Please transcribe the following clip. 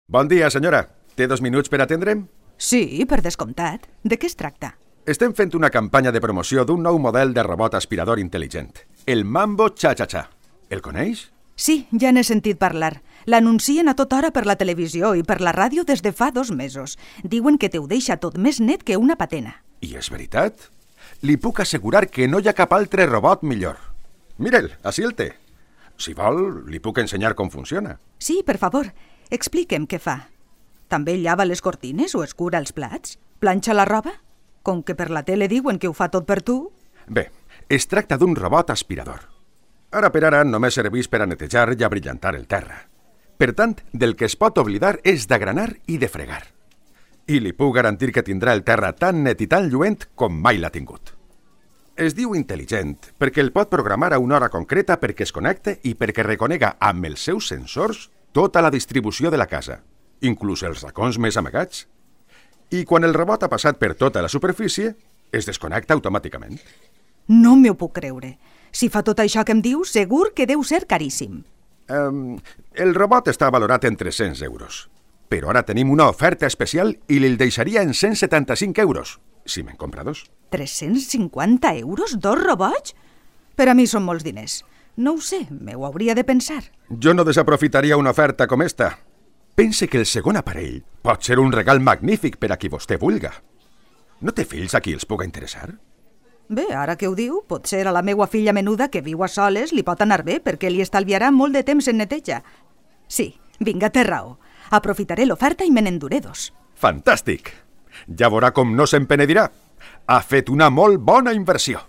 Bon dia, senyora. Té 2 minuts per atendre'm? Sí, per descomptat. De què es tracta? Estem fent una campanya de promoció d'un nou model de robot aspirador intel·ligent. El Mambo Cha-Cha-Cha. El coneix? Sí, ja n'he sentit parlar. L'anuncien a tota hora per la televisió i per la ràdio des de fa 2 mesos. Diuen que te ho deixa tot més net que una patena. I és veritat? Li puc assegurar que no hi ha cap altre robot millor. Mire'l, així el té. Si vol, li puc ensenyar com funciona. Sí, per favor, expliquem què fa. També llava les cortines o escura els plats? Planxa la roba? Com que per la tele diuen que ho fa tot per tu? Bé, es tracta d'un robot aspirador. Ara per ara només serveix per a netejar i a brillantar el terra. Per tant, del que es pot oblidar és d'agranar i de fregar. I li puc garantir que tindrà el terra tan net i tan lluent com mai l'ha tingut. Es diu intel·ligent perquè el pot programar a una hora concreta perquè es connecte i perquè reconega amb els seus sensors tota la distribució de la casa, inclús els racons més amagats. I quan el robot ha passat per tota la superfície, es desconnecta automàticament. No m'ho puc creure. Si fa tot això que em dius, segur que deu ser caríssim. El robot està valorat en 300 euros. Però ara tenim una oferta especial i li'l deixaria en 175 euros, si me'n compra 2. 350 euros? 2 robots? Per a mi són molts diners. No ho sé, m'ho hauria de pensar. Jo no desaprofitaria una oferta com esta. Pense que el segon aparell pot ser un regal magnífic per a qui vostè vulga. No té fills a qui els puga interessar? Bé, ara que ho diu, potser a la meua filla menuda que viu a soles li pot anar bé perquè li estalviarà molt de temps en neteja. Sí, vinga, té raó. Aprofitaré l'oferta i me n'enduré 2. Fantàstic! Ja veurà com no se'n penedirà. Ha fet una molt bona inversió.